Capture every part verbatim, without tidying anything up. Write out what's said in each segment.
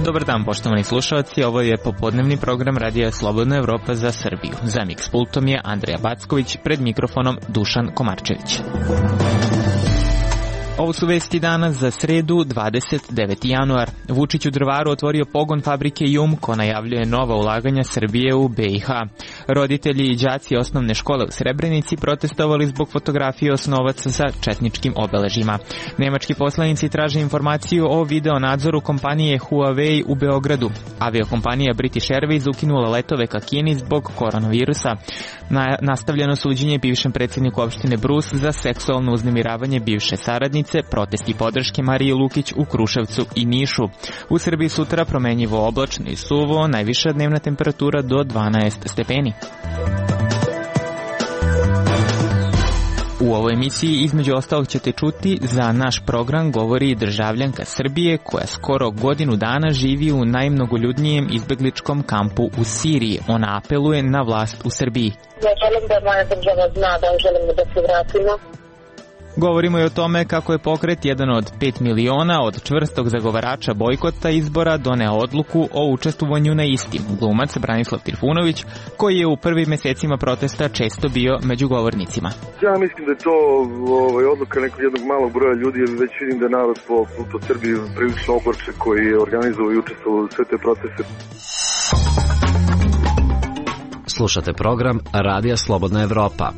Dobar dan, poštovani slušalci, ovo je popodnevni program Radija Slobodna Evropa za Srbiju. Za miks pultom je Andrija Backović, pred mikrofonom Dušan Komarčević. Ovo su vesti danas za sredu, dvadeset deveti januar. Vučić u Drvaru otvorio pogon fabrike Jumko, najavljuje nova ulaganja Srbije u B i H. Roditelji i đaci osnovne škole u Srebrenici protestovali zbog fotografije osnovaca sa četničkim obeležima. Nemački poslanici traže informaciju o video nadzoru kompanije Huawei u Beogradu. Aviokompanija British Airways ukinula letove ka Kini zbog koronavirusa. Na, nastavljeno suđenje bivšem predsjedniku opštine Brus za seksualno uznemiravanje bivše saradnice, protesti podrške Mariji Lukić u Kruševcu i Nišu. U Srbiji sutra promenjivo oblačno i suvo, najviša dnevna temperatura do dvanaest stepeni. U ovoj emisiji između ostalog ćete čuti za naš program govori državljanka Srbije koja skoro godinu dana živi u najmnogoljudnijem izbegličkom kampu u Siriji. Ona apeluje na vlast u Srbiji. Ja želim da moja država zna da želimo da se vratimo. Govorimo i o tome kako je pokret jedan od pet miliona od čvrstog zagovarača bojkota izbora doneo odluku o učestvovanju na istim. Glumac Branislav Trifunović, koji je u prvim mesecima protesta često bio među govornicima. Ja mislim da je to ovaj, odluka nekog jednog malog broja ljudi, jer već vidim da je narod po, po Srbiji prilično ogorčen koji je organizovao i učestvovao u sve te proteste. Slušate program Radija Slobodna Evropa.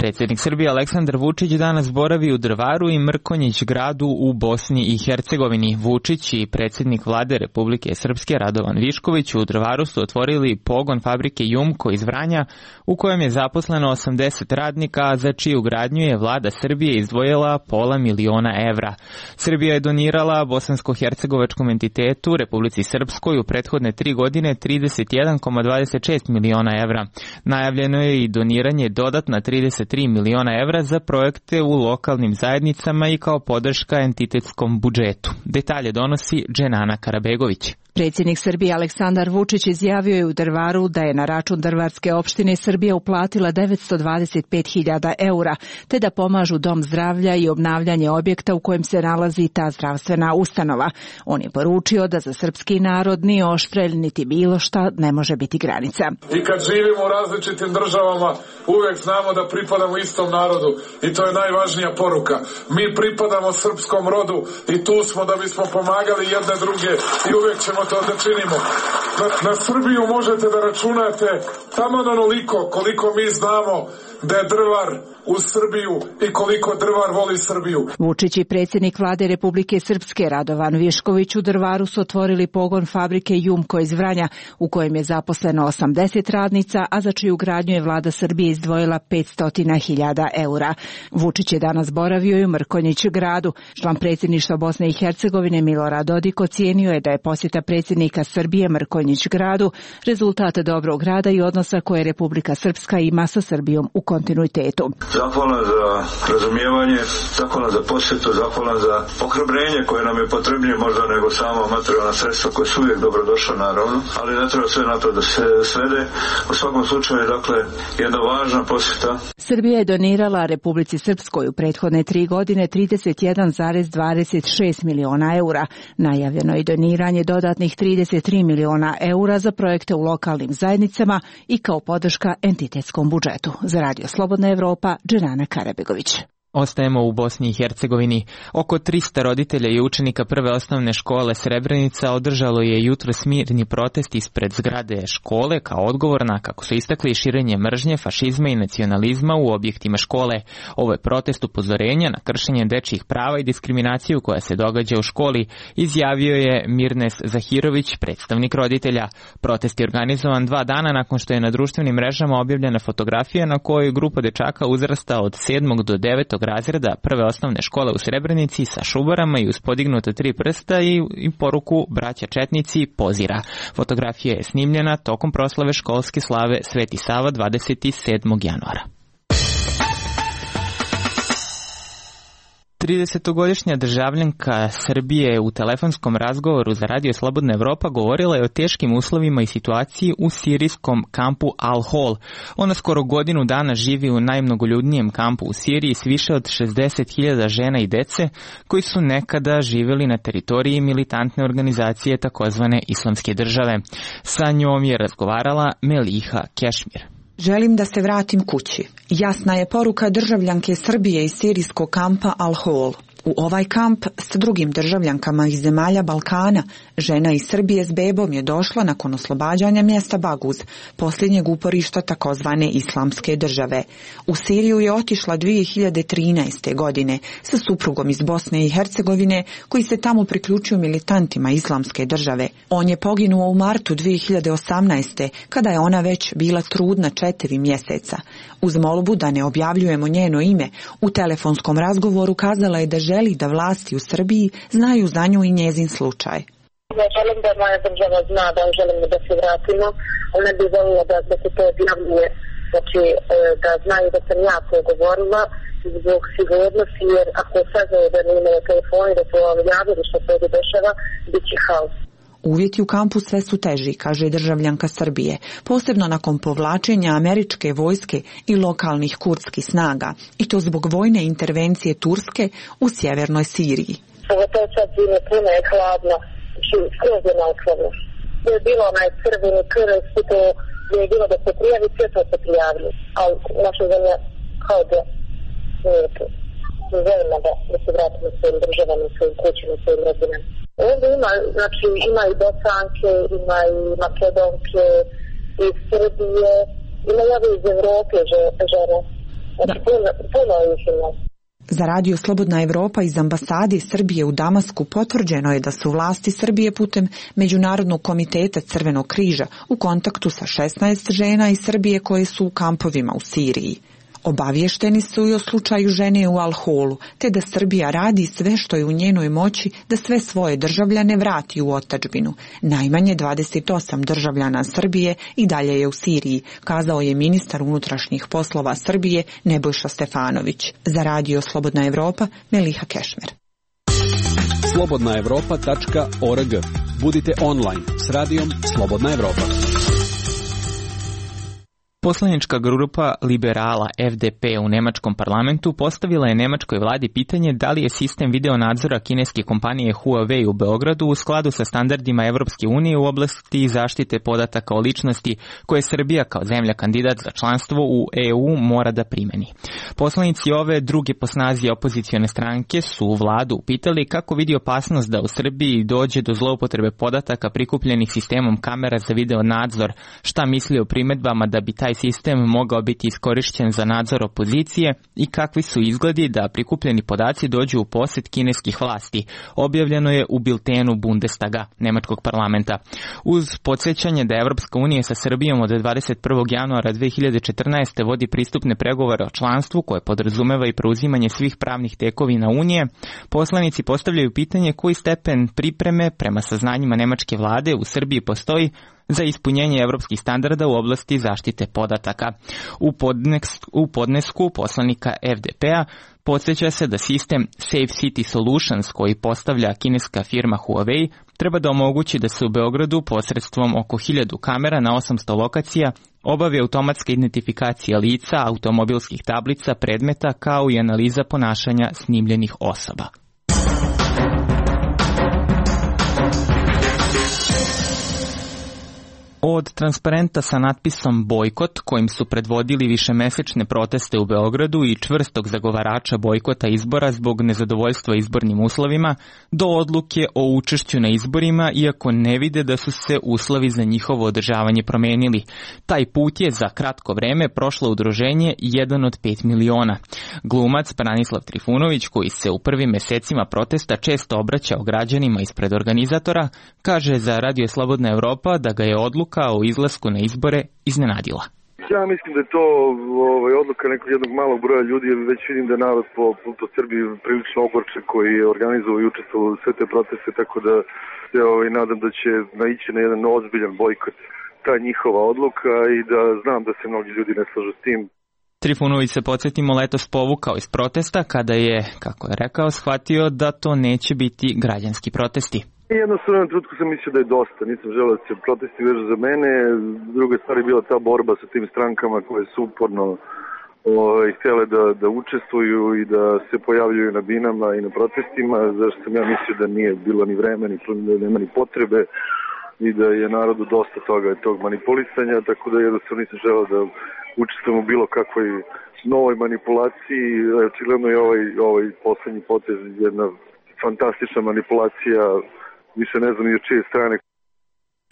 Predsjednik Srbije Aleksandar Vučić danas boravi u Drvaru i Mrkonjić gradu u Bosni i Hercegovini. Vučić i predsjednik vlade Republike Srpske Radovan Višković u Drvaru su otvorili pogon fabrike Jumko iz Vranja u kojem je zaposleno osamdeset radnika, a za čiju gradnju je vlada Srbije izdvojila pola miliona evra. Srbija je donirala bosansko-hercegovačkom entitetu Republici Srpskoj u prethodne tri godine trideset jedan zarez dvadeset šest miliona evra. Najavljeno je i doniranje dodatna trideset tri miliona evra za projekte u lokalnim zajednicama i kao podrška entitetskom budžetu. Detalje donosi Dženana Karabegović. Predsjednik Srbije Aleksandar Vučić izjavio je u Drvaru da je na račun Drvarske opštine Srbija uplatila devetsto dvadeset pet hiljada eura, te da pomažu dom zdravlja i obnavljanje objekta u kojem se nalazi ta zdravstvena ustanova. On je poručio da za srpski narod ni oštrelj niti bilo šta ne može biti granica. I kad živimo u različitim državama, uvek znamo da pripadamo istom narodu i to je najvažnija poruka. Mi pripadamo srpskom rodu i tu smo da bismo pomagali jedne druge i uvek ćemo to da činimo. Na, na Srbiju možete da računate tamo onoliko koliko mi znamo da je Drvar u Srbiju i koliko Drvar voli Srbiju. Vučić i predsjednik vlade Republike Srpske Radovan Višković u Drvaru su otvorili pogon fabrike Jumko iz Vranja u kojem je zaposleno osamdeset radnica, a za čiju gradnju je vlada Srbije izdvojila petsto hiljada eura. Vučić je danas boravio i u Mrkonjić gradu. Član predsjedništva Bosne i Hercegovine Milorad Dodik ocijenio je da je posjeta predsjednika Srbije Mrkonjić gradu rezultat dobrog rada i odnosa koje Republika Srpska ima sa Srbijom u kontinuitetu. Zahvalan za razumijevanje, zahvalan za posjetu, zahvalan za ohrabrenje koje nam je potrebnije možda nego samo materijalna sredstva koje su uvijek dobrodošla naravno, ali ne treba sve na to da se svede. U svakom slučaju, dakle, jedna važna posjeta. Srbija je donirala Republici Srpskoj u prethodne tri godine trideset jedan zarez dvadeset šest miliona eura. Najavljeno je doniranje dodatnih trideset tri miliona eura za projekte u lokalnim zajednicama i kao podrška entitetskom budžetu. Za Radio Slobodna Evropa, Dženana Karabegović. Ostajemo u Bosni i Hercegovini. Oko trista roditelja i učenika prve osnovne škole Srebrenica održalo je jutros mirni protest ispred zgrade škole kao odgovor na, kako su istakli, širenje mržnje, fašizma i nacionalizma u objektima škole. Ovo je protest upozorenja na kršenje dečjih prava i diskriminaciju koja se događa u školi, izjavio je Mirnes Zahirović, predstavnik roditelja. Protest je organizovan dva dana nakon što je na društvenim mrežama objavljena fotografija na kojoj grupa dečaka uzrasta od sedmog do devetog razreda prve osnovne škole u Srebrenici sa šubarama i uz podignuta tri prsta i, i poruku braća četnici pozira. Fotografija je snimljena tokom proslave školske slave Sveti Sava dvadeset sedmog januara. tridesetogodišnja državljanka Srbije u telefonskom razgovoru za Radio Slobodna Evropa govorila je o teškim uslovima i situaciji u sirijskom kampu Al-Hol. Ona skoro godinu dana živi u najmnogoljudnijem kampu u Siriji s više od šezdeset hiljada žena i dece koji su nekada živjeli na teritoriji militantne organizacije takozvane Islamske države. Sa njom je razgovarala Meliha Kešmir. Želim da se vratim kući. Jasna je poruka državljanke Srbije iz sirijskog kampa Al-Hol. U ovaj kamp s drugim državljankama iz zemalja Balkana, žena iz Srbije s bebom je došla nakon oslobađanja mjesta Baguz, posljednjeg uporišta takozvane Islamske države. U Siriju je otišla dvije hiljade trinaeste. godine sa suprugom iz Bosne i Hercegovine koji se tamo priključio militantima Islamske države. On je poginuo u martu dvije hiljade osamnaeste. kada je ona već bila trudna četiri mjeseca. Uz molbu da ne objavljujemo njeno ime, u telefonskom razgovoru kazala je da želi da vlasti u Srbiji znaju za nju i njezin slučaj. Ja želim da moja država zna da želimo da se vratimo, ali ne bi volila da, da se to objavljuje, znači da znaju da sam ja to govorila zbog sigurnosti, jer ako saznaju da ne imaju telefoni, da su vam javili što se ovdje dešava, bit će haos. Uvjeti u kampu sve su teži, kaže državljanka Srbije, posebno nakon povlačenja američke vojske i lokalnih kurdskih snaga, i to zbog vojne intervencije Turske u sjevernoj Siriji. Pogotovo sad zime, puno je hladno, skroz je naokladno. Je bilo onaj crveni krv, to je bilo da se prijavi, sve to se prijavili, ali naša zemlja kao da nije to. Želimo da, da se vratimo svojim državama, svojim kućima, svojim rodinama. Ovdje ima, znači, ima i Bosanke, ima i Makedonke, iz Srbije, ima i iz Evrope žene. Znači, puno, puno ih ima. Za Radio Slobodna Evropa iz ambasade Srbije u Damasku potvrđeno je da su vlasti Srbije putem Međunarodnog komiteta Crvenog križa u kontaktu sa šesnaest žena iz Srbije koje su u kampovima u Siriji. Obavješteni su i o slučaju žene u Al-Holu, te da Srbija radi sve što je u njenoj moći da sve svoje državljane vrati u otadžbinu. Najmanje dvadeset osam državljana Srbije i dalje je u Siriji, kazao je ministar unutrašnjih poslova Srbije Nebojša Stefanović. Za Radio Slobodna Evropa, Meliha Kešmer. slobodna evropa tačka org. Budite online s radijom Slobodna Evropa. Poslanička grupa liberala F D P u nemačkom parlamentu postavila je nemačkoj vladi pitanje da li je sistem video nadzora kineske kompanije Huawei u Beogradu u skladu sa standardima Evropske unije u oblasti zaštite podataka o ličnosti koje Srbija kao zemlja kandidat za članstvo u E U mora da primeni. Poslanici ove druge po snazi opozicione stranke su vladu upitali kako vidi opasnost da u Srbiji dođe do zloupotrebe podataka prikupljenih sistemom kamera za video nadzor, šta misli o primedbama da bi taj sistem mogao biti iskorišćen za nadzor opozicije i kakvi su izgledi da prikupljeni podaci dođu u posjed kineskih vlasti. Objavljeno je u biltenu Bundestaga, nemačkog parlamenta. Uz podsjećanje da Evropska unija sa Srbijom od dvadeset prvog januara dve hiljade četrnaeste. vodi pristupne pregovore o članstvu koje podrazumeva i preuzimanje svih pravnih tekovina Unije, poslanici postavljaju pitanje koji stepen pripreme prema saznanjima nemačke vlade u Srbiji postoji za ispunjenje evropskih standarda u oblasti zaštite podataka. U, podnesk, u podnesku poslanika F D P-a podsjeća se da sistem Safe City Solutions koji postavlja kineska firma Huawei treba da omogući da se u Beogradu posredstvom oko hiljadu kamera na osamsto lokacija obavi automatska identifikacija lica, automobilskih tablica, predmeta kao i analiza ponašanja snimljenih osoba. Od transparenta sa natpisom bojkot, kojim su predvodili višemesečne proteste u Beogradu i čvrstog zagovarača bojkota izbora zbog nezadovoljstva izbornim uslovima, do odluke o učešću na izborima, iako ne vide da su se uslovi za njihovo održavanje promenili. Taj put je za kratko vreme prošlo udruženje jedan od pet miliona. Glumac Branislav Trifunović, koji se u prvim mesecima protesta često obraćao građanima ispred organizatora, kaže za Radio Slobodna Evropa da ga je odluka o izlasku na izbore iznenadila. Ja mislim da je to ovaj, odluka nekog jednog malog broja ljudi, jer već vidim da je narod po, po Srbiji prilično ogorčen koji je organizovao i učestvovao u sve te proteste, tako da se ovaj, nadam da će naići na jedan ozbiljan bojkot ta njihova odluka i da znam da se mnogi ljudi ne slažu s tim. Trifunović se, podsjetimo, letos povukao iz protesta kada je, kako je rekao, shvatio da to neće biti građanski protesti. Jednostavno na trenutku sam mislio da je dosta, nisam želeo da se protesti vežu za mene. Druga stvar je bila ta borba sa tim strankama koje su uporno ovaj, htjele da, da učestvuju i da se pojavljuju na binama i na protestima, zašto sam ja mislio da nije bilo ni vreme, ni, da nema ni potrebe i da je narodu dosta toga tog manipulisanja, tako da jednostavno nisam želeo da učestvujem u bilo kakvoj novoj manipulaciji. Očigledno je ovaj, ovaj poslednji potez jedna fantastična manipulacija, više ne znam ni od čije strane.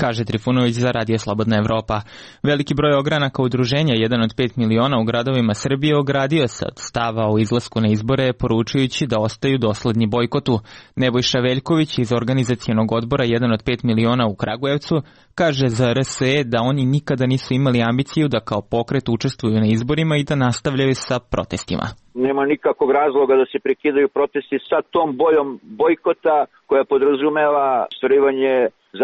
Kaže Trifunović za Radio Slobodna Evropa. Veliki broj ogranaka udruženja, jedan od pet miliona u gradovima Srbije, ogradio se od stava o izlasku na izbore, poručujući da ostaju dosledni bojkotu. Nebojša Veljković iz organizacionog odbora jedan od pet miliona u Kragujevcu kaže za R S E da oni nikada nisu imali ambiciju da kao pokret učestvuju na izborima i da nastavljaju sa protestima. Nema nikakvog razloga da se prekidaju protesti sa tom bojom bojkota koja podrazumeva ostvarivanje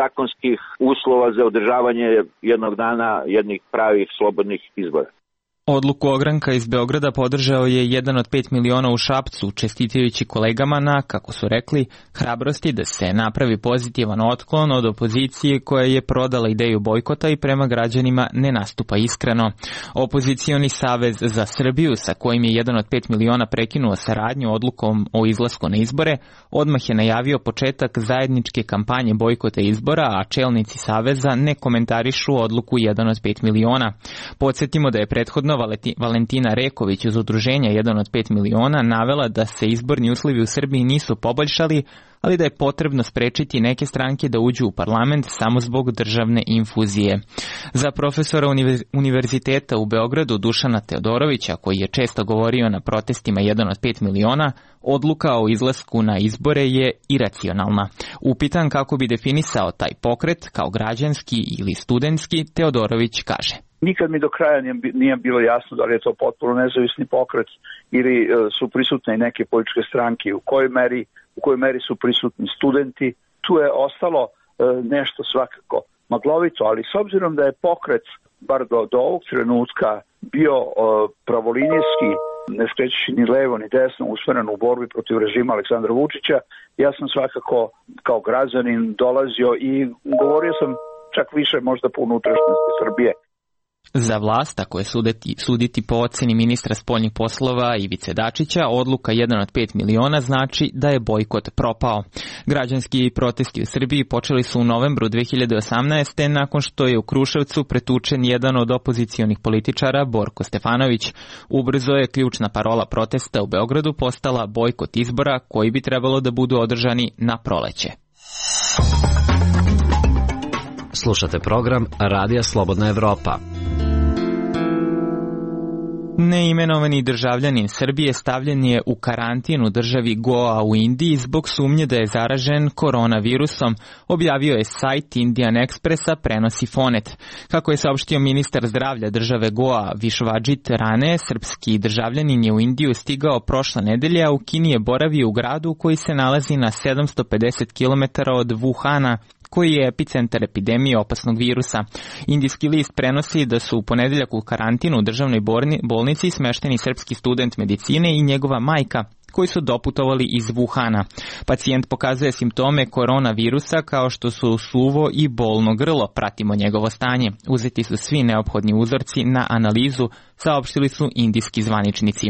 zakonskih uslova za održavanje jednog dana jednih pravih slobodnih izbora. Odluku ogranka iz Beograda podržao je jedan od pet miliona u Šapcu, čestitajući kolegama na, kako su rekli, hrabrosti da se napravi pozitivan otklon od opozicije koja je prodala ideju bojkota i prema građanima ne nastupa iskreno. Opozicioni savez za Srbiju, sa kojim je jedan od pet miliona prekinuo saradnju odlukom o izlasku na izbore, odmah je najavio početak zajedničke kampanje bojkota izbora, a čelnici saveza ne komentarišu odluku jedan od pet miliona. Podsjetimo da je prethodno Valentina Reković iz udruženja jedan od pet miliona navela da se izborni uslovi u Srbiji nisu poboljšali, ali da je potrebno sprečiti neke stranke da uđu u parlament samo zbog državne infuzije. Za profesora univerziteta u Beogradu Dušana Teodorovića, koji je često govorio na protestima jedan od pet miliona, odluka o izlasku na izbore je iracionalna. Upitan kako bi definisao taj pokret kao građanski ili studentski, Teodorović kaže: Nikad mi do kraja nije bilo jasno da li je to potpuno nezavisni pokret ili su prisutne i neke političke stranke, u kojoj meri, u kojoj meri su prisutni studenti. Tu je ostalo nešto svakako maglovito, ali s obzirom da je pokret, bar do, do ovog trenutka, bio pravolinijski, ne skrećući ni levo ni desno, usmeren u borbi protiv režima Aleksandra Vučića, ja sam svakako kao građanin dolazio i govorio sam čak više možda po unutrašnjosti Srbije. Za vlast, ako je suditi, suditi po oceni ministra spoljnih poslova Ivice Dačića, odluka jedan od pet miliona znači da je bojkot propao. Građanski protesti u Srbiji počeli su u novembru dve hiljade osamnaeste. nakon što je u Kruševcu pretučen jedan od opozicionih političara, Borko Stefanović. Ubrzo je ključna parola protesta u Beogradu postala bojkot izbora koji bi trebalo da budu održani na proleće. Slušate program Radija Slobodna Evropa. Neimenovani državljanin Srbije stavljen je u karantin u državi Goa u Indiji zbog sumnje da je zaražen koronavirusom, objavio je sajt Indian Expressa, prenosi Fonet. Kako je saopštio ministar zdravlja države Goa Višvadžit Rane, srpski državljanin je u Indiju stigao prošle nedelje, a u Kini je boravio u gradu koji se nalazi na sedamsto pedeset kilometara od Wuhana, koji je epicentar epidemije opasnog virusa. Indijski list prenosi da su u ponedeljak u karantinu u državnoj bolnici smešteni srpski student medicine i njegova majka, koji su doputovali iz Wuhana. Pacijent pokazuje simptome koronavirusa kao što su suvo i bolno grlo, pratimo njegovo stanje. Uzeti su svi neophodni uzorci na analizu, saopštili su indijski zvaničnici.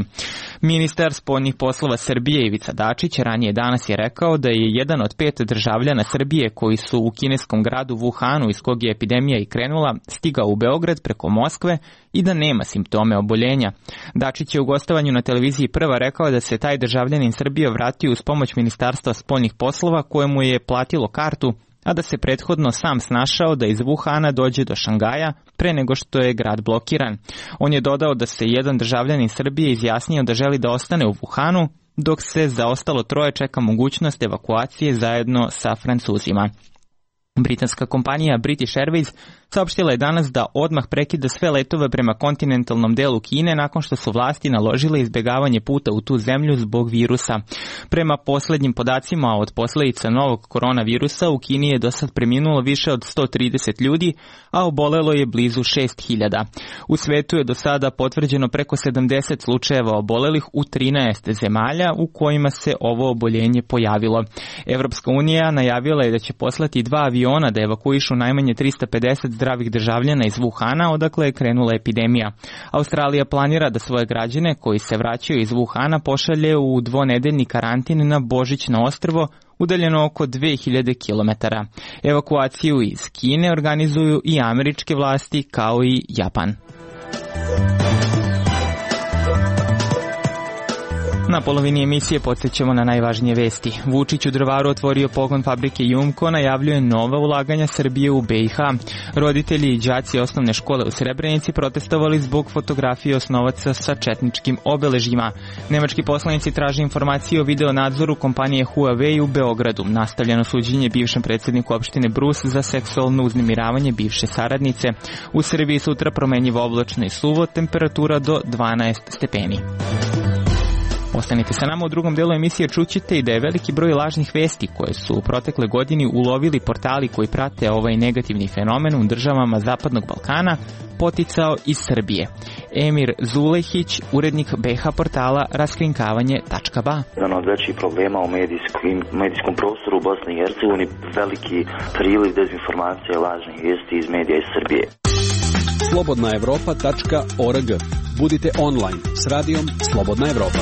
Ministar spoljnih poslova Srbije Ivica Dačić ranije danas je rekao da je jedan od pet državljana Srbije koji su u kineskom gradu Wuhanu, iz kog je epidemija i krenula, stigao u Beograd preko Moskve i da nema simptome oboljenja. Dačić je u gostovanju na televiziji Prva rekao da se taj državljanin Srbije vratio uz pomoć Ministarstva spoljnih poslova kojemu je platilo kartu, a da se prethodno sam snašao da iz Wuhana dođe do Šangaja pre nego što je grad blokiran. On je dodao da se jedan državljanin Srbije izjasnio da želi da ostane u Wuhanu, dok se za ostalo troje čeka mogućnost evakuacije zajedno sa Francuzima. Britanska kompanija British Airways saopštila je danas da odmah prekida sve letove prema kontinentalnom delu Kine nakon što su vlasti naložile izbjegavanje puta u tu zemlju zbog virusa. Prema poslednjim podacima od posledica novog koronavirusa u Kini je do sad preminulo više od sto trideset ljudi, a obolelo je blizu šest hiljada. U svetu je do sada potvrđeno preko sedamdeset slučajeva obolelih u trinaest zemalja u kojima se ovo oboljenje pojavilo. Evropska unija najavila je da će poslati dva aviona da evakuišu najmanje trista pedeset zdravih državljana iz Wuhana, odakle je krenula epidemija. Australija planira da svoje građane koji se vraćaju iz Wuhana pošalje u dvonedeljni karantin na Božićno ostrvo, udaljeno oko dve hiljade kilometara. Evakuaciju iz Kine organizuju i američke vlasti kao i Japan. Na polovini emisije podsjećamo na najvažnije vesti. Vučić u Drvaru otvorio pogon fabrike Jumko, najavljuje nova ulaganja Srbije u B i H. Roditelji i đaci osnovne škole u Srebrenici protestovali zbog fotografije osnovaca sa četničkim obeležjima. Nemački poslanici traže informacije o videonadzoru kompanije Huawei u Beogradu. Nastavljeno suđenje bivšem predsjedniku opštine Brus za seksualno uznemiravanje bivše saradnice. U Srbiji sutra promenjivo oblačno i suvo, temperatura do dvanaest stepeni. Ostanite sa nama, u drugom delu emisije čućete i da je veliki broj lažnih vesti koje su u protekle godini ulovili portali koji prate ovaj negativni fenomen u državama Zapadnog Balkana poticao iz Srbije. Emir Zulehić, urednik B H portala raskrinkavanje tačka ba. Jedan od većih problema u medijskim, medijskom prostoru u Bosni i Hercegovini veliki priliv dezinformacije i lažnih vijesti iz medija iz Srbije. slobodna evropa tačka org. Budite online s radijom Slobodna Evropa.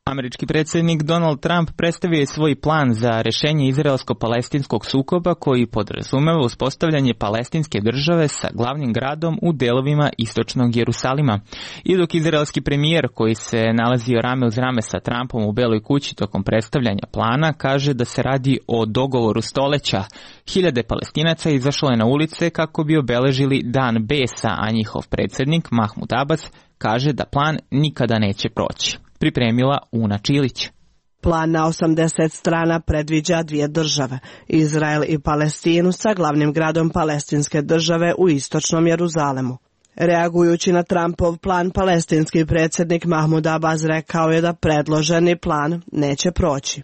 Američki predsjednik Donald Trump predstavio je svoj plan za rešenje izraelsko-palestinskog sukoba koji podrazumeva uspostavljanje palestinske države sa glavnim gradom u delovima istočnog Jerusalima. I dok izraelski premijer koji se nalazio rame uz rame sa Trumpom u Beloj kući tokom predstavljanja plana kaže da se radi o dogovoru stoleća, hiljade Palestinaca izašlo je na ulice kako bi obeležili dan besa, a njihov predsjednik Mahmud Abbas kaže da plan nikada neće proći. Pripremila Una Čilić. Plan na osamdeset strana predviđa dvije države, Izrael i Palestinu sa glavnim gradom palestinske države u istočnom Jeruzalemu. Reagujući na Trumpov plan, palestinski predsjednik Mahmud Abbas rekao je da predloženi plan neće proći.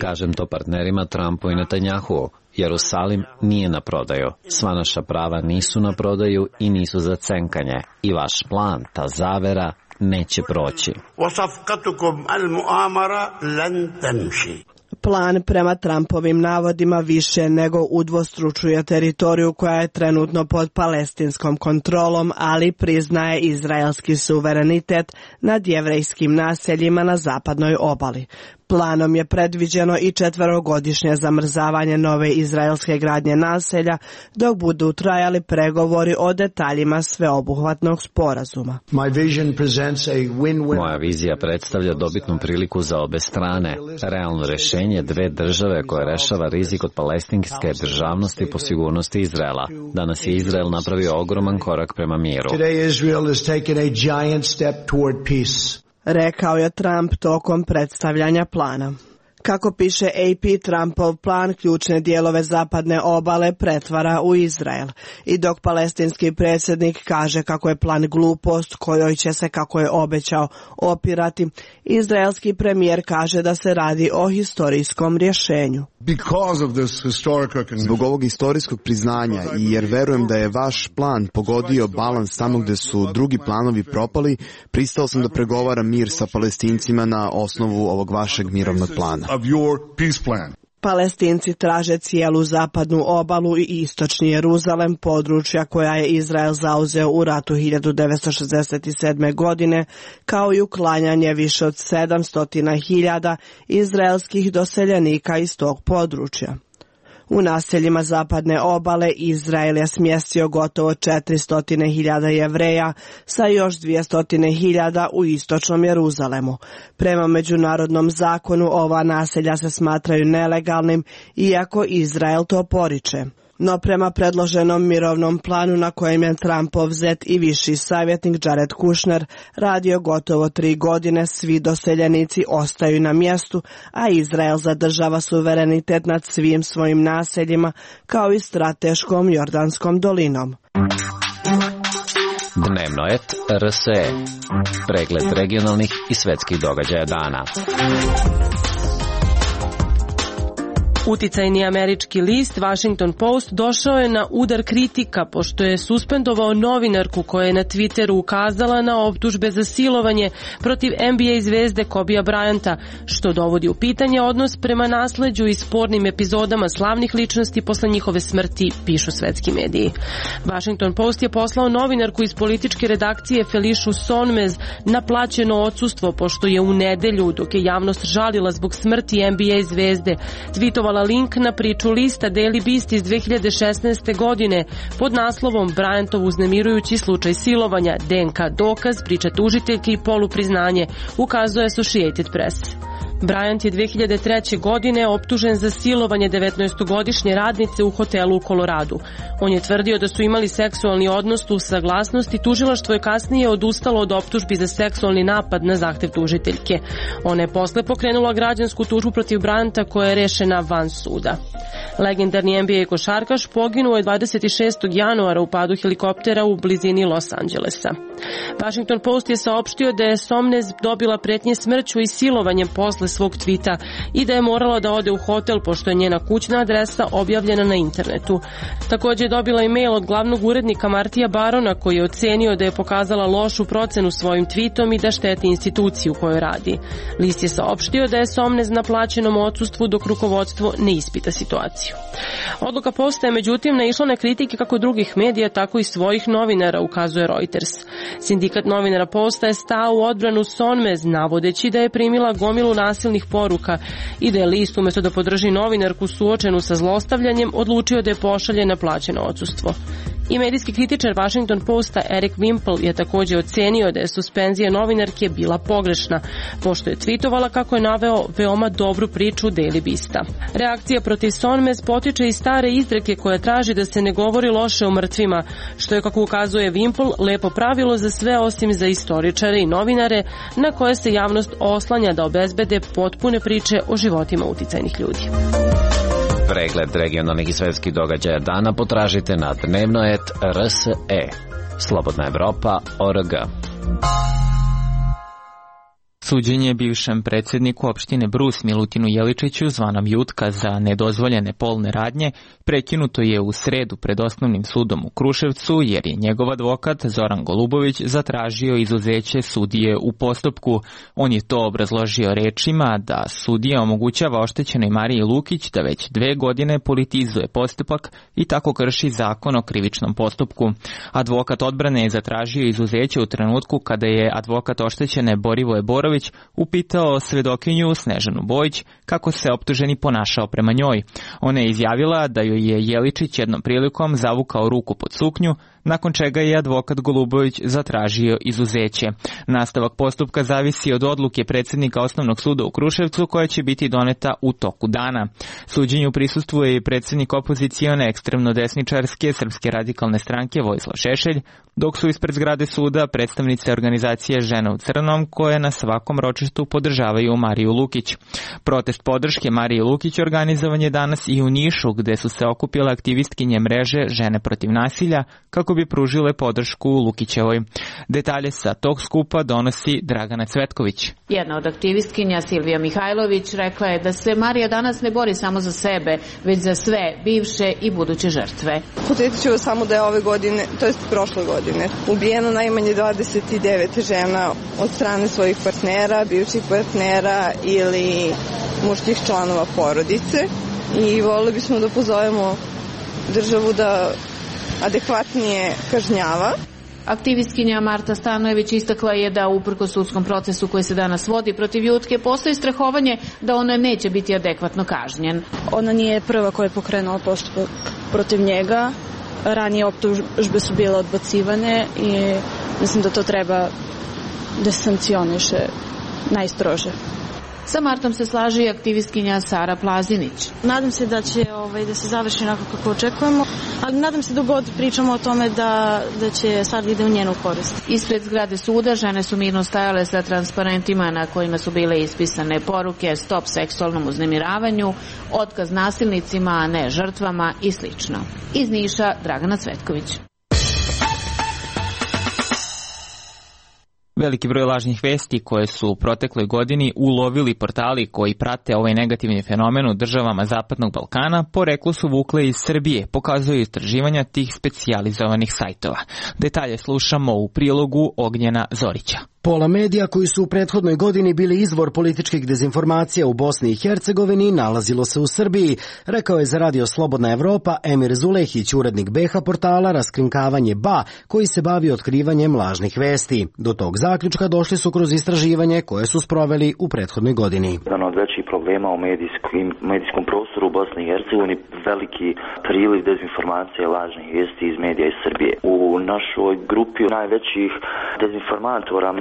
Kažem to partnerima Trumpu i Netanjahu. Jerusalim nije na prodaju. Sva naša prava nisu na prodaju i nisu za cenkanje. I vaš plan, ta zavera, neće proći. Plan prema Trumpovim navodima više nego udvostručuje teritoriju koja je trenutno pod palestinskom kontrolom, ali priznaje izraelski suverenitet nad jevrejskim naseljima na zapadnoj obali. Planom je predviđeno i četverogodišnje zamrzavanje nove izraelske gradnje naselja dok budu trajali pregovori o detaljima sveobuhvatnog sporazuma. Moja vizija predstavlja dobitnu priliku za obe strane. Realno rešenje dve države koje rešava rizik od palestinske državnosti po sigurnosti Izraela. Danas je Izrael napravio ogroman korak prema miru. Rekao je Trump tokom predstavljanja plana. Kako piše A P, Trumpov plan ključne dijelove zapadne obale pretvara u Izrael. I dok palestinski predsjednik kaže kako je plan glupost kojoj će se, kako je obećao, opirati, izraelski premijer kaže da se radi o historijskom rješenju. Zbog ovog historijskog priznanja i jer verujem da je vaš plan pogodio balans tamo gde su drugi planovi propali, pristao sam da pregovaram mir sa Palestincima na osnovu ovog vašeg mirovnog plana. Palestinci traže cijelu zapadnu obalu i istočni Jeruzalem, područja koja je Izrael zauzeo u ratu hiljadu devetsto šezdeset sedme. godine, kao i uklanjanje više od sedamsto hiljada izraelskih doseljenika iz tog područja. U naseljima zapadne obale Izrael je smjestio gotovo četiristo hiljada Jevreja sa još dvjesto hiljada u istočnom Jeruzalemu. Prema međunarodnom zakonu ova naselja se smatraju nelegalnim, iako Izrael to poriče. No prema predloženom mirovnom planu na kojem je Trumpov zet i viši savjetnik Jared Kushner radio gotovo tri godine, svi doseljenici ostaju na mjestu, a Izrael zadržava suverenitet nad svim svojim naseljima kao i strateškom Jordanskom dolinom. Dnevnoet R S E. Pregled regionalnih i svetskih događaja dana. Uticajni američki list Washington Post došao je na udar kritika pošto je suspendovao novinarku koja je na Twitteru ukazala na optužbe za silovanje protiv N B A zvezde Kobija Bryanta, što dovodi u pitanje odnos prema nasleđu i spornim epizodama slavnih ličnosti posle njihove smrti, pišu svetski mediji. Washington Post je poslao novinarku iz političke redakcije Felišu Sonmez na plaćeno odsustvo pošto je u nedelju, dok je javnost žalila zbog smrti N B A zvezde, tweetovala link na priču lista Daily Beast iz dve hiljade šesnaeste. godine pod naslovom Bryantov uznemirujući slučaj silovanja, D N K dokaz, priča tužiteljke i polupriznanje, ukazuje Associated Press. Bryant je dve hiljade treće. godine optužen za silovanje devetnaestogodišnje radnice u hotelu u Koloradu. On je tvrdio da su imali seksualni odnos uz saglasnost i tužilaštvo je kasnije odustalo od optužbi za seksualni napad na zahtev tužiteljke. Ona je posle pokrenula građansku tužbu protiv Bryanta koja je rešena van suda. Legendarni N B A košarkaš poginuo je dvadeset šestog januara u padu helikoptera u blizini Los Angelesa. Washington Post je saopštio da je Somnez dobila pretnje smrću i silovanjem posle svog tvita i da je morala da ode u hotel pošto je njena kućna adresa objavljena na internetu. Također je dobila e-mail od glavnog urednika Martija Barona koji je ocenio da je pokazala lošu procenu svojim tweetom i da šteti instituciju u kojoj radi. List je saopštio da je Somnez na plaćenom odsustvu dok rukovodstvo ne ispita situaciju. Odluka Posta je međutim naišla na kritike kako drugih medija, tako i svojih novinara, ukazuje Reuters. Sindikat novinara Posta je stao u odbranu Sonmez, navodeći da je primila gomilu nasilnih poruka i da je list umjesto da podrži novinarku suočenu sa zlostavljanjem odlučio da je pošalje na plaćeno odsustvo. I medijski kritičar Washington Posta Eric Wimple je također ocenio da je suspenzija novinarke bila pogrešna, pošto je tweetovala kako je naveo veoma dobru priču Daily Beasta. Reakcija protiv Sonmez potiče iz stare izreke koja traži da se ne govori loše o mrtvima, što je, kako ukazuje Wimple, lepo pravilo za sve osim za istoričare i novinare na koje se javnost oslanja da obezbede potpune priče o životima uticajnih ljudi. Pregled regionalnih i svetskih događaja dana potražite na Dnevnoet R S E. Slobodna Evropa org. Suđenje bivšem predsjedniku opštine Brus Milutinu Jeličiću, zvanom Jutka, za nedozvoljene polne radnje prekinuto je u sredu pred osnovnim sudom u Kruševcu jer je njegov advokat Zoran Golubović zatražio izuzeće sudije u postupku. On je to obrazložio rečima da sudija omogućava oštećenoj Mariji Lukić da već dve godine politizuje postupak i tako krši zakon o krivičnom postupku. Advokat odbrane je zatražio izuzeće u trenutku kada je advokat oštećene Borivoje Borović upitao svedokinju Snežanu Bojić kako se optuženi ponašao prema njoj. Ona je izjavila da joj je Jeličić jednom prilikom zavukao ruku pod suknju, nakon čega je advokat Golubović zatražio izuzeće. Nastavak postupka zavisi od odluke predsjednika Osnovnog suda u Kruševcu koja će biti doneta u toku dana. Suđenju prisustvuje i predsjednik opozicione ekstremno desničarske Srpske radikalne stranke Vojislav Šešelj, dok su ispred zgrade suda predstavnice organizacije Žena u crnom koje na svakom ročištu podržavaju Mariju Lukić. Protest podrške Mariji Lukić organizovan je danas i u Nišu, gde su se okupile aktivistkinje mreže Žene protiv nasilja kako bi pružile podršku Lukićevoj. Detalje sa tog skupa donosi Dragana Cvetković. Jedna od aktivistkinja, Silvija Mihajlović, rekla je da se Marija danas ne bori samo za sebe, već za sve bivše i buduće žrtve. Podsjetit ću samo da je ove godine, to jest prošle godine, ubijeno najmanje dvadeset devet žena od strane svojih partnera, bivših partnera ili muških članova porodice i volili bismo da pozovemo državu da adekvatnije kažnjava. Aktivistkinja Marta Stanojević istakla je da uprkos sudskom procesu koji se danas vodi protiv Jutke postoji strahovanje da ona neće biti adekvatno kažnjen. Ona nije prva koja je pokrenula postupak protiv njega. Ranije optužbe su bile odbacivane i mislim da to treba da se sankcioniše najstrože. Sa Martom se slaže i aktivistkinja Sara Plazinić. Nadam se da će ovaj, da se završi onako kako očekujemo, ali nadam se dok god pričamo o tome da, da će sad ide u njenu korist. Ispred zgrade suda žene su mirno stajale sa transparentima na kojima su bile ispisane poruke stop seksualnom uznemiravanju, otkaz nasilnicima, a ne žrtvama i slično. Iz Niša, Dragana Cvetković. Veliki broj lažnih vesti koje su u protekloj godini ulovili portali koji prate ovaj negativni fenomen u državama Zapadnog Balkana, poreklo su vukle iz Srbije, pokazuju istraživanja tih specijalizovanih sajtova. Detalje slušamo u prilogu Ognjena Zorića. Pola medija koji su u prethodnoj godini bili izvor političkih dezinformacija u Bosni i Hercegovini nalazilo se u Srbiji, rekao je za Radio Slobodna Evropa Emir Zulehić, urednik B H portala Raskrinkavanje B A, koji se bavi otkrivanjem lažnih vesti. Do tog zaključka došli su kroz istraživanje koje su sproveli u prethodnoj godini. Jedan od većih problema u medijskim, medijskom prostoru u Bosni i Hercegovini veliki priliv dezinformacije i lažnih vesti iz medija iz Srbije. U našoj grupi najvećih dezinformatora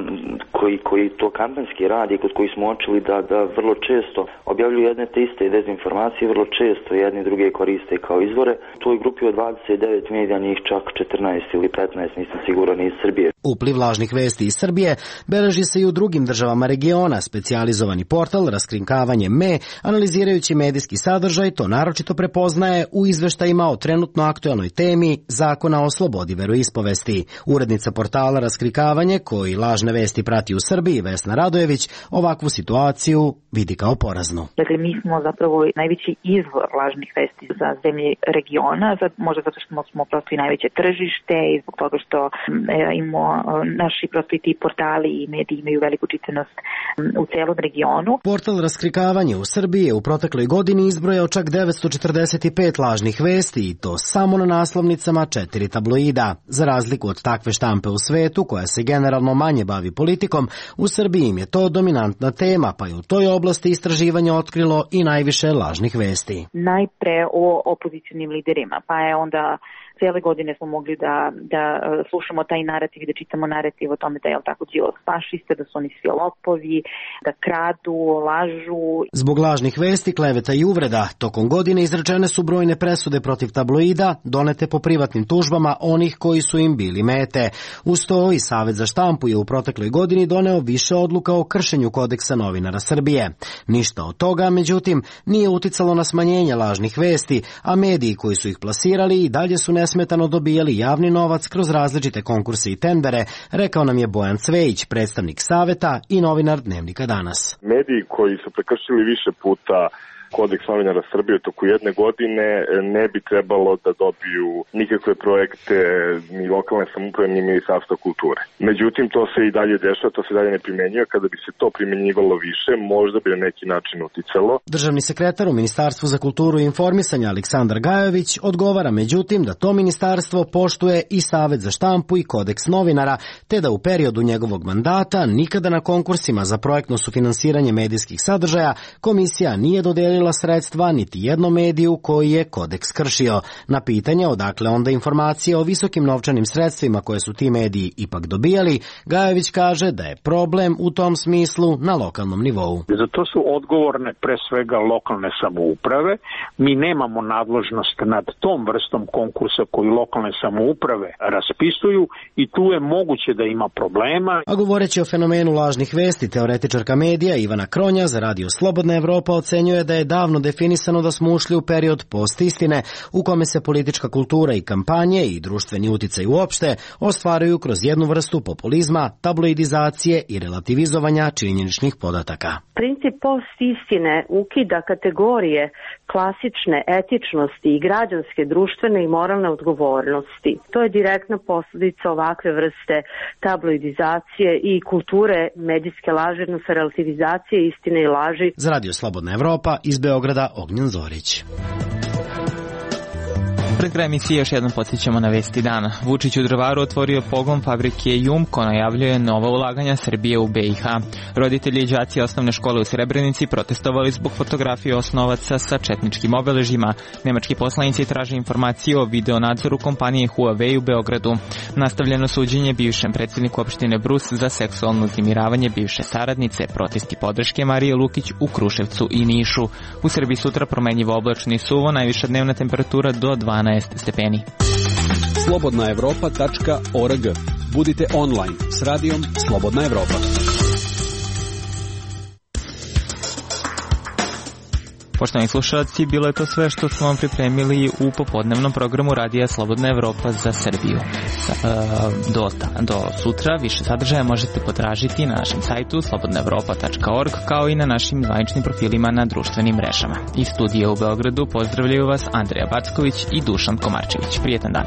koji, koji to kampanjski radi, kod koji smo uočili da, da vrlo često objavljuju jedne te iste dezinformacije, vrlo često jedni druge koriste kao izvore. U toj grupi od dvadeset devet medija, njih čak četrnaest ili petnaest, nisam siguran, iz Srbije. Upliv lažnih vesti iz Srbije beleži se i u drugim državama regiona. Specijalizovani portal Raskrinkavanje M E, analizirajući medijski sadržaj, to naročito prepoznaje u izveštajima o trenutno aktuelnoj temi Zakona o slobodi veroispovesti. Urednica portala Raskrinkavanje, koji lažne vesti prati u Srbiji, Vesna Radojević, ovakvu situaciju vidi kao poraznu. Dakle, mi smo zapravo najveći izvor lažnih vesti za zemlje regiona, možda zato što smo prosto i najveće tržište i zbog toga što imamo naši prosto i ti portali i mediji imaju veliku čitanost u celom regionu. Portal Raskrinkavanje u Srbiji je u protekloj godini izbrojao čak devetsto četrdeset pet lažnih vesti i to samo na naslovnicama četiri tabloida. Za razliku od takve štampe u svetu, koja se generalno manje bavi politikom, u Srbiji im je to dominantna tema, pa je u toj oblasti istraživanje otkrilo i najviše lažnih vesti. Najpre o opozicionim liderima, pa je onda cijele godine smo mogli da, da slušamo taj narativ i da čitamo narativ o tome da je tako Đilas fašista, da su oni svi lopovi, da kradu, lažu. Zbog lažnih vesti, kleveta i uvreda, tokom godine izrečene su brojne presude protiv tabloida, donete po privatnim tužbama onih koji su im bili mete. Uz to i Savet za štampu je u protekloj godini doneo više odluka o kršenju kodeksa novinara Srbije. Ništa od toga, međutim, nije uticalo na smanjenje lažnih vesti, a mediji koji su ih plasirali i dalje su nesmetano dobijali javni novac kroz različite konkurse i tendere, rekao nam je Bojan Cvejić, predstavnik Saveta i novinar Dnevnika Danas. Mediji koji su prekršili više puta kodeks novinara Srbije toku jedne godine ne bi trebalo da dobiju nikakve projekte ni lokalne samouprave ni Ministarstva kulture. Međutim, to se i dalje dešava, to se dalje ne primenjuje. Kada bi se to primenjivalo više, možda bi na neki način uticalo. Državni sekretar u Ministarstvu za kulturu i informisanje Aleksandar Gajović odgovara međutim da to ministarstvo poštuje i Savet za štampu i kodeks novinara, te da u periodu njegovog mandata nikada na konkursima za projektno sufinansiranje medijskih sadržaja komisija nije dodelila sredstva niti jednom mediju koji je kodeks kršio. Na pitanje odakle onda informacije o visokim novčanim sredstvima koje su ti mediji ipak dobijali, Gajević kaže da je problem u tom smislu na lokalnom nivou. Za to su odgovorne pre svega lokalne samouprave. Mi nemamo nadležnost nad tom vrstom konkursa koju lokalne samouprave raspisuju i tu je moguće da ima problema. A govoreći o fenomenu lažnih vesti, teoretičarka medija Ivana Kronja za Radio Slobodna Evropa ocenjuje da je davno definisano da smo ušli u period postistine u kome se politička kultura i kampanje i društveni uticaj uopšte ostvaruju kroz jednu vrstu populizma, tabloidizacije i relativizovanja činjeničnih podataka. Princip postistine ukida kategorije klasične etičnosti i građanske, društvene i moralne odgovornosti. To je direktna posljedica ovakve vrste tabloidizacije i kulture medijske laži, odnosno relativizacije istine i laži. Za Radio Slobodna Evropa iz Beograda Ognjen Zorić. Pred kraj emisije još jednom podsjećamo na vesti dana. Vučić u Drvaru otvorio pogon fabrike Jumko, najavljuje nova ulaganja Srbije u B i H. Roditelji i đaci osnovne škole u Srebrenici protestovali zbog fotografije osnovaca sa četničkim obeležjima. Nemački poslanici traže informacije o videonadzoru kompanije Huawei u Beogradu. Nastavljeno suđenje bivšem predsjedniku opštine Brus za seksualno uznemiravanje bivše saradnice. Protesti podrške Marije Lukić u Kruševcu i Nišu. U Srbiji sutra promenljivo oblačno i suvo, najviša dnevna temperatura do dvanaest stepeni. slobodna evropa tačka org. Budite online s radijom Slobodna Evropa. Poštovani slušalci, bilo je to sve što smo vam pripremili u popodnevnom programu Radija Slobodna Evropa za Srbiju. Do, do sutra više sadržaja možete potražiti na našem sajtu slobodna evropa tačka org kao i na našim zvaničnim profilima na društvenim mrežama. Iz studija u Beogradu pozdravljaju vas Andreja Backović i Dušan Komarčević. Prijetan dan.